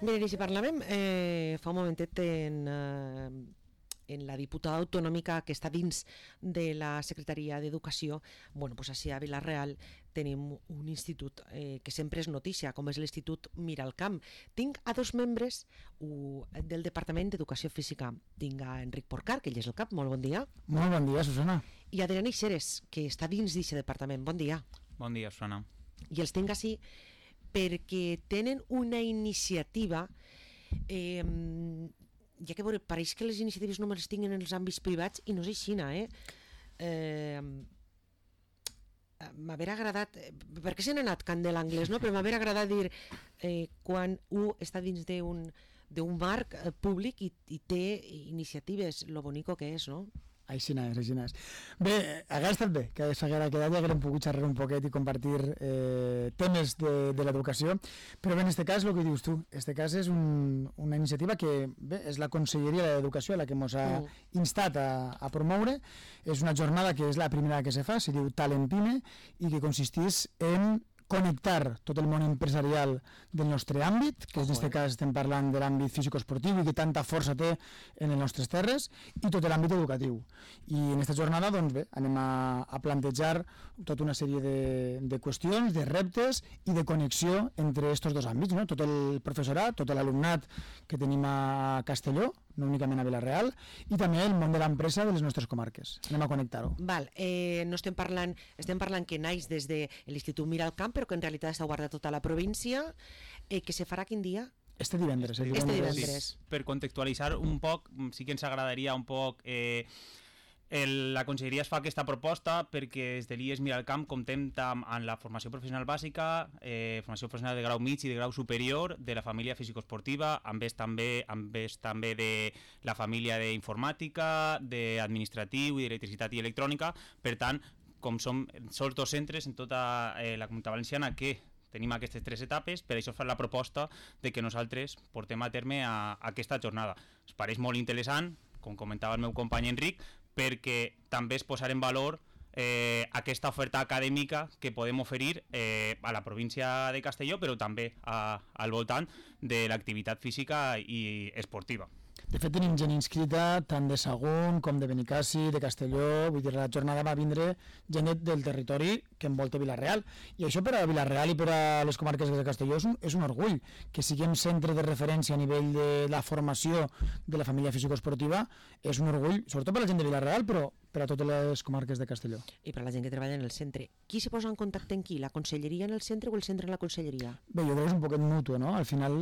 Miren, i si parlàvem fa un momentet en la diputada autonòmica que està dins de la Secretaria d'Educació, bueno, pues així a Vila-real tenim un institut que sempre és notícia, com és l'Institut Miralcamp. Tinc a dos membres del Departament d'Educació Física. Tinc a Enric Porcar, que ell és el cap, molt bon dia. Molt bon dia, Susana. I a Adriana Ixeres, que està dins d'aquest departament. Bon dia. Bon dia, Susana. I els tinc així perquè tenen una iniciativa ja que veure, pareix que les iniciatives només les tinguin en els àmbits privats i no és així, m'haver agradat, perquè se n'ha anat cant de l'anglès, no? Però m'haver agradat dir quan un està dins d'un marc públic i té iniciatives, lo bonico que és, no? Així és. Bé, hauria estat bé que s'haguera quedat i haguérem pogut xerrar un poquet i compartir temes de l'educació, però bé, en aquest cas, el que dius tu, en aquest cas és una iniciativa que bé, és la Conselleria d'Educació la que ens ha instat a promoure. És una jornada que és la primera que se fa, se diu Talentine, i que consisteix en connectar tot el món empresarial del nostre àmbit, que en aquest cas estem parlant de l'àmbit físico-esportiu i que tanta força té en les nostres terres, i tot l'àmbit educatiu. I en aquesta jornada doncs bé, anem a plantejar tota una sèrie de qüestions, de reptes i de connexió entre aquests dos àmbits, no? Tot el professorat, tot l'alumnat que tenim a Castelló, no únicament a Vila-real, i també el món de l'empresa de les nostres comarques. Anem a connectar-ho. Val, no estem parlant que naix des de l'Institut Miralcamp, però que en realitat està guardat tota la província, que se farà quin dia? Este divendres. Sí, per contextualitzar un poc, sí que ens agradaria un poc... La Conselleria es fa aquesta proposta perquè des de l'IES Miralcamp comptem amb la formació professional bàsica, formació professional de grau mig i de grau superior, de la família físico-esportiva, amb també de la família d'informàtica, d'administratiu i d'electricitat i electrònica. Per tant, com som sols dos centres en tota la Comunitat Valenciana que tenim aquestes tres etapes, per això es fa la proposta de que nosaltres portem a terme aquesta jornada. Es pareix molt interessant, com comentava el meu company Enric, perquè també es posarà en valor aquesta oferta acadèmica que podem oferir a la província de Castelló, però també al voltant de l'activitat física i esportiva. De fet, tenim gent inscrita tant de Sagunt com de Benicàssim, de Castelló, vull dir, la jornada va vindre gent del territori que envolta Vila-real, i això per a Vila-real i per a les comarques de Castelló és un orgull, que siguem centre de referència a nivell de la formació de la família físico-esportiva, és un orgull, sobretot per a la gent de Vila-real, però per a totes les comarques de Castelló. I per a la gent que treballa en el centre. Qui se posa en contacte amb qui? La conselleria en el centre o el centre en la conselleria? Bé, jo crec que és un poquet mutu, no? Al final,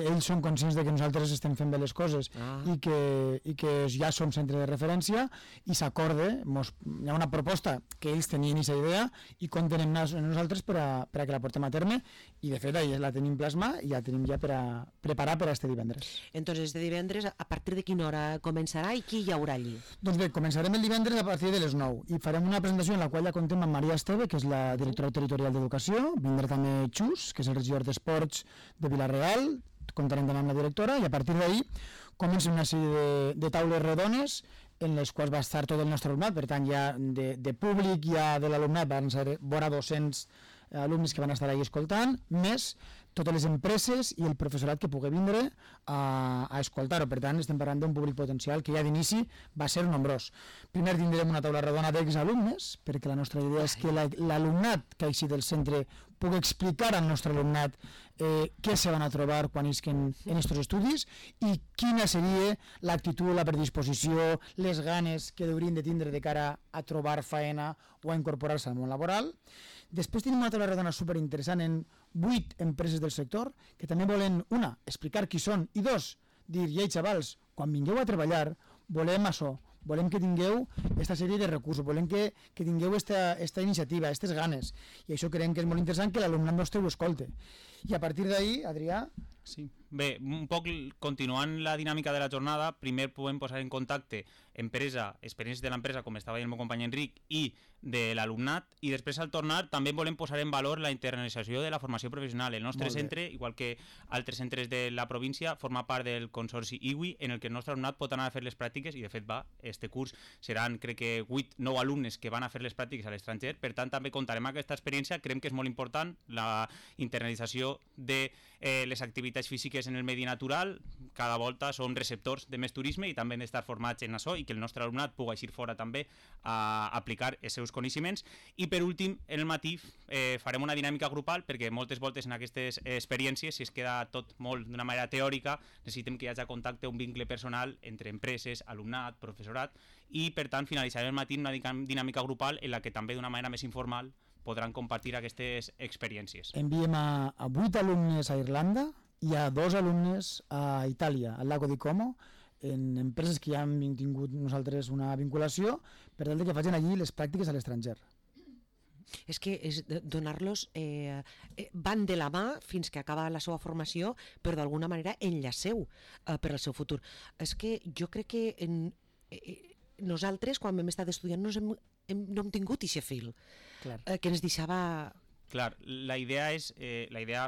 ells són conscients de que nosaltres estem fent bé les coses i que ja som centre de referència i s'acorde, hi ha una proposta que ells tenien aquesta idea i compten amb nosaltres per a que la portem a terme, i de fet la tenim plasma i ja tenim ja per a preparar per a este divendres. Entonces, este divendres, a partir de quina hora començarà i qui hi haurà allí? Doncs bé, començarem el divendres a partir de les 9 i farem una presentació en la qual ja contem amb Maria Esteve, que és la directora territorial d'Educació, vindrà també Xus, que és el regidor d'Esports de Vila-real, comptarem també amb la directora, i a partir d'ahir comencen una sèrie de taules rodones en les quals va estar tot el nostre alumnat, per tant ja de públic, ja de l'alumnat van ser vora 200 alumnes que van estar ahí escoltant, més totes les empreses i el professorat que pugui vindre a escoltar-ho. Per tant, estem parlant d'un públic potencial que ja d'inici va ser nombrós. Primer tindrem una taula redona d'exalumnes, perquè la nostra idea és que l'alumnat que així del centre pugui explicar al nostre alumnat què se van a trobar quan isquen en aquests estudis i quina seria l'actitud, la predisposició, les ganes que haurien de tindre de cara a trobar faena o a incorporar-se al món laboral. Després tenim una taula redona superinteressant en 8 empreses del sector que també volen, una, explicar qui són, i dos, dir, ei xavals, quan vingueu a treballar volem això, volem que tingueu aquesta sèrie de recursos, volem que tingueu aquesta iniciativa, aquestes ganes, i això creiem que és molt interessant que l'alumnat nostre ho escolte. I a partir d'ahir, Adrià... Sí. Bé, un poc continuant la dinàmica de la jornada, primer podem posar en contacte experiències de l'empresa, com estava el meu company Enric, i de l'alumnat, i després al tornar també volem posar en valor la internacionalització de la formació professional. El nostre centre, igual que altres centres de la província, forma part del consorci IWI, en el que el nostre alumnat pot anar a fer les pràctiques, i de fet este curs seran, crec que 8-9 alumnes que van a fer les pràctiques a l'estranger. Per tant, també contarem aquesta experiència. Creiem que és molt important la internalització l'observació de les activitats físiques en el medi natural. Cada volta som receptors de més turisme i també hem d'estar formats en això i que el nostre alumnat pugui eixir fora també a aplicar els seus coneixements. I per últim, en el matí farem una dinàmica grupal perquè moltes voltes en aquestes experiències, si es queda tot molt d'una manera teòrica, necessitem que hi hagi contacte, un vincle personal entre empreses, alumnat, professorat, i per tant finalitzarem el matí una dinàmica grupal en la que també d'una manera més informal podran compartir aquestes experiències. Enviem a 8 alumnes a Irlanda i a 2 alumnes a Itàlia, al Lago di Como, en empreses que ja hem tingut nosaltres una vinculació, per tal que facin allí les pràctiques a l'estranger. És que és donar-los van de la mà fins que acaba la seva formació, però d'alguna manera enllaceu per al seu futur. És que jo crec que nosaltres, quan vam estar estudiant, no hem tingut aquest fil que ens deixava... Clar, la idea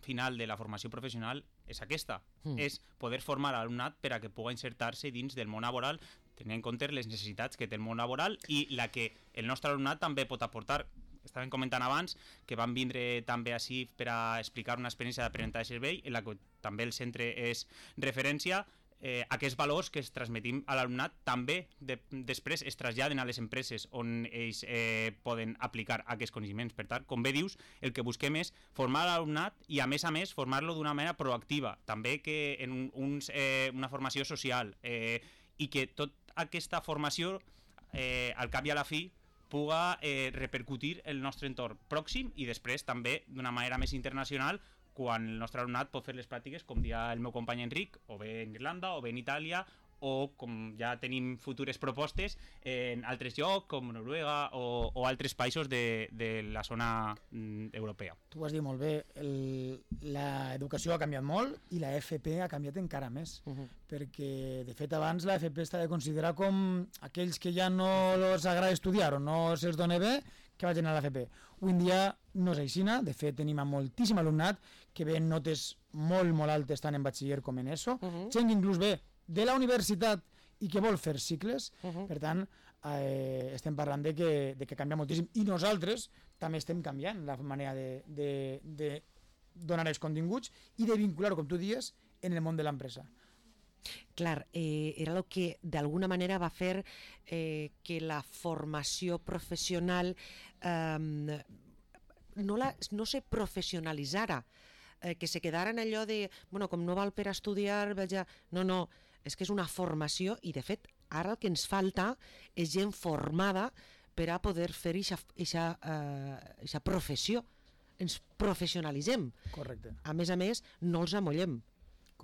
final de la formació professional és aquesta, és poder formar l'alumnat per a que pugui insertar-se dins del món laboral, tenint en compte les necessitats que té el món laboral i la que el nostre alumnat també pot aportar. Estàvem comentant abans que van vindre també així per a explicar una experiència d'aprenentatge de servei en la que també el centre és referència. Aquests valors que es transmetim a l'alumnat també després es traslladen a les empreses on ells poden aplicar aquests coneixements. Per tant, com bé dius, el que busquem és formar l'alumnat i a més formar-lo d'una manera proactiva, també que en una formació social i que tota aquesta formació al cap i a la fi puga repercutir en el nostre entorn pròxim i després també d'una manera més internacional quan el nostre alumnat pot fer les pràctiques, com deia el meu company Enric, o bé en Irlanda, o bé en Itàlia, o com ja tenim futures propostes en altres llocs, com Noruega o altres països de la zona europea. Tu ho has dit molt bé, l'educació ha canviat molt i la FP ha canviat encara més, perquè de fet abans la FP està de considerar com aquells que ja no els agrada estudiar o no se'ls dona bé, que vagin a l'FP. Avui en dia no és així, de fet tenim moltíssim alumnat que ve en notes molt, molt altes tant en batxiller com en ESO, gent que inclús ve de la universitat i que vol fer cicles, per tant estem parlant de que canvia moltíssim i nosaltres també estem canviant la manera de donar els continguts i de vincular-ho, com tu dius, en el món de l'empresa. Clar, era el que d'alguna manera va fer que la formació professional no se professionalitzara, que se quedara en allò de, bueno, com no val per estudiar, no, és que és una formació i de fet ara el que ens falta és gent formada per a poder fer aquesta professió. Ens professionalitzem. Correcte. A més, no els amollem.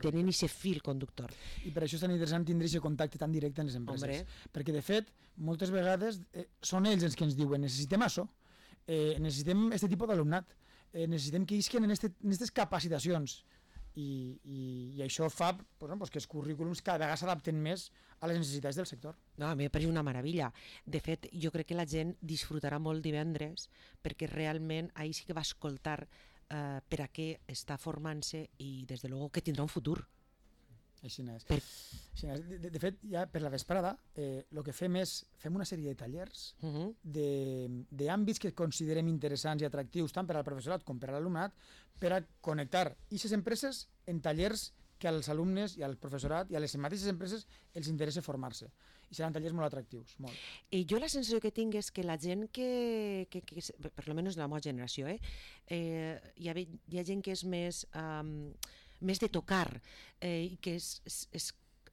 Tenen aquest fil conductor. I per això és tan interessant tindre aquest contacte tan directe amb les empreses. Perquè, de fet, moltes vegades són ells els que ens diuen necessitem això, necessitem aquest tipus d'alumnat, necessitem que isquen en aquestes capacitacions. I això fa que els currículums cada vegada s'adapten més a les necessitats del sector. No, a mi m'ha parit una meravella. De fet, jo crec que la gent disfrutarà molt divendres perquè realment ahir sí que va escoltar per a què està formant-se i des de luego que tindrà un futur. Així és. De fet, ja per la vesprada el que fem és una sèrie de tallers d'àmbits que considerem interessants i atractius tant per al professorat com per a l'alumnat per a connectar aquestes empreses en tallers que als alumnes i al professorat i a les mateixes empreses els interessa formar-se. I seran tallers molt atractius, molt. I jo la sensació que tinc és que la gent que per almenys de la meva generació, hi ha gent que és més de tocar i que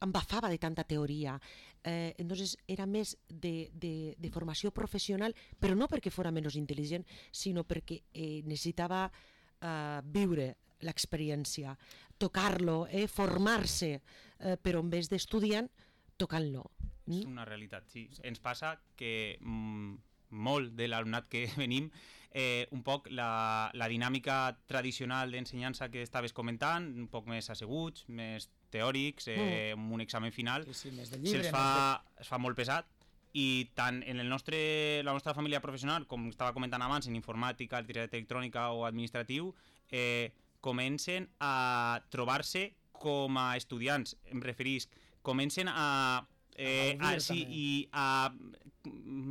embafava de tanta teoria. Entonces era més de formació professional, però no perquè fora menys intel·ligent, sinó perquè necessitava viure l'experiència, tocar-lo, formar-se, però en vez d'estudiant, tocant-lo. És una realitat, sí. Ens passa que molt de l'alumnat que venim, un poc la dinàmica tradicional d'ensenyança que estaves comentant, un poc més asseguts, més teòrics, amb un examen final, se'ls fa molt pesat. I tant en la nostra família professional, com estava comentant abans, en informàtica, artilleria electrònica o administratiu, comencen a trobar-se com a estudiants, em referisc, comencen a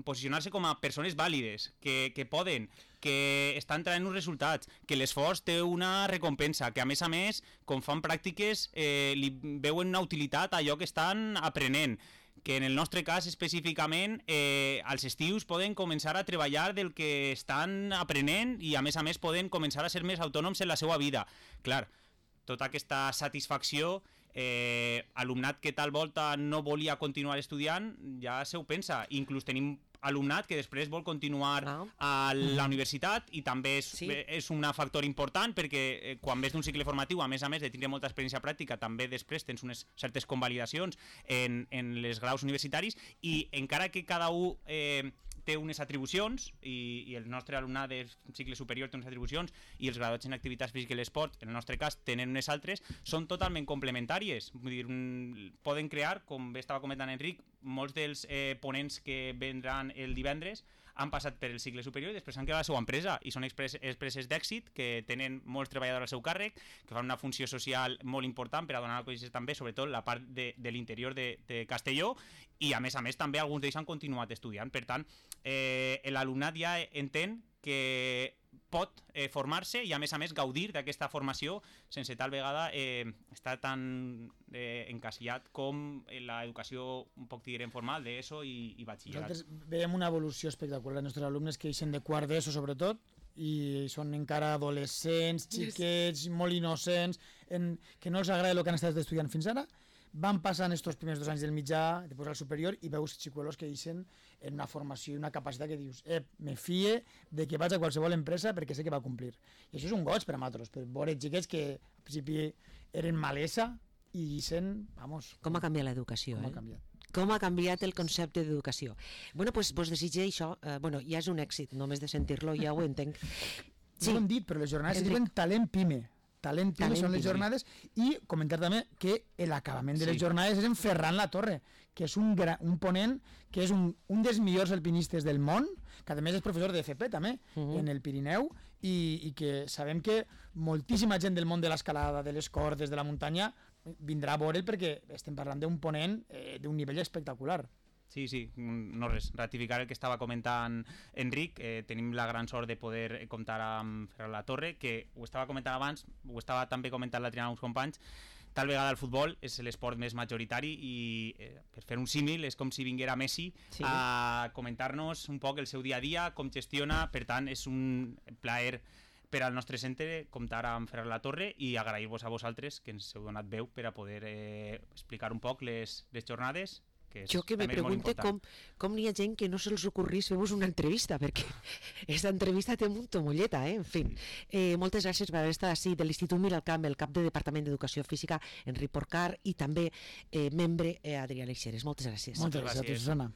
posicionar-se com a persones vàlides, que poden, que estan traient uns resultats, que l'esforç té una recompensa, que a més, com fan pràctiques, li veuen una utilitat a allò que estan aprenent, que en el nostre cas específicament als estius poden començar a treballar del que estan aprenent i a més poden començar a ser més autònoms en la seva vida. Clar, tota aquesta satisfacció, alumnat que tal volta no volia continuar estudiant, ja se ho pensa. Inclús tenim alumnat que després vol continuar a la universitat i també és un factor important perquè quan ves d'un cicle formatiu, a més de tindre molta experiència pràctica, també després tens unes certes convalidacions en les graus universitaris i encara que cada un té unes atribucions i el nostre alumnat de cicle superior té unes atribucions i els graduats en activitats físiques i l'esport, en el nostre cas, tenen unes altres, són totalment complementàries. Vull dir, poden crear, com bé estava comentant Enric, molts dels ponents que vendran el divendres han passat per el cicle superior i després han creat la seva empresa i són empreses d'èxit que tenen molts treballadors al seu càrrec, que fan una funció social molt important per a donar a conèixer també, sobretot, la part de l'interior de Castelló i a més també alguns d'ells han continuat estudiant. Per tant, l'alumnat ja entén que pot formar-se i a més gaudir d'aquesta formació sense tal vegada estar tan encasillat com l'educació un poc direm formal d'ESO i batxillerat. Nosaltres veiem una evolució espectacular dels nostres alumnes que eixen de quart d'ESO sobretot i són encara adolescents, xiquets, molt innocents, que no els agrada el que han estat estudiant fins ara. Van passant estos primers 2 anys del mitjà, després al superior, i veus xicuelos que eixen en una formació i una capacitat que dius me fie de que vaig a qualsevol empresa perquè sé que va complir. I això és un goig per a nosaltres, per veure xiquets que al principi eren malesa i eixen, vamos... Com ha canviat l'educació, ha canviat. Com ha canviat el concepte d'educació. Bueno, doncs vos desitge això, ja és un èxit, només de sentir-lo ja ho entenc. Sí. No ho hem dit, però les jornades es diuen Talent Pime. Talent Pime són les jornades i comentar també que l'acabament de les jornades és en Ferran Latorre, que és un ponent que és un dels millors alpinistes del món, que a més és professor de FP també en el Pirineu i que sabem que moltíssima gent del món de l'escalada, de les cordes, de la muntanya vindrà a veure'l perquè estem parlant d'un ponent d'un nivell espectacular. Sí, no res, ratificar el que estava comentant Enric, tenim la gran sort de poder comptar amb Ferran Latorre, que ho estava comentant abans, ho estava també comentant l'altre dia amb uns companys, tal vegada el futbol és l'esport més majoritari i per fer un símil és com si vinguera Messi a comentar-nos un poc el seu dia a dia, com gestiona, per tant és un plaer per al nostre centre comptar amb Ferran Latorre i agrair-vos a vosaltres que ens heu donat veu per a poder explicar un poc les jornades. Jo que me pregunte com n'hi ha gent que no se'ls ocorrís fer-vos una entrevista, perquè aquesta entrevista té molta molleta, en fi. Moltes gràcies per haver estat així de l'Institut Miralcamp, el cap de Departament d'Educació Física, Enric Porcar, i també membre Adrià Leixeres. Moltes gràcies. Moltes gràcies, Susana.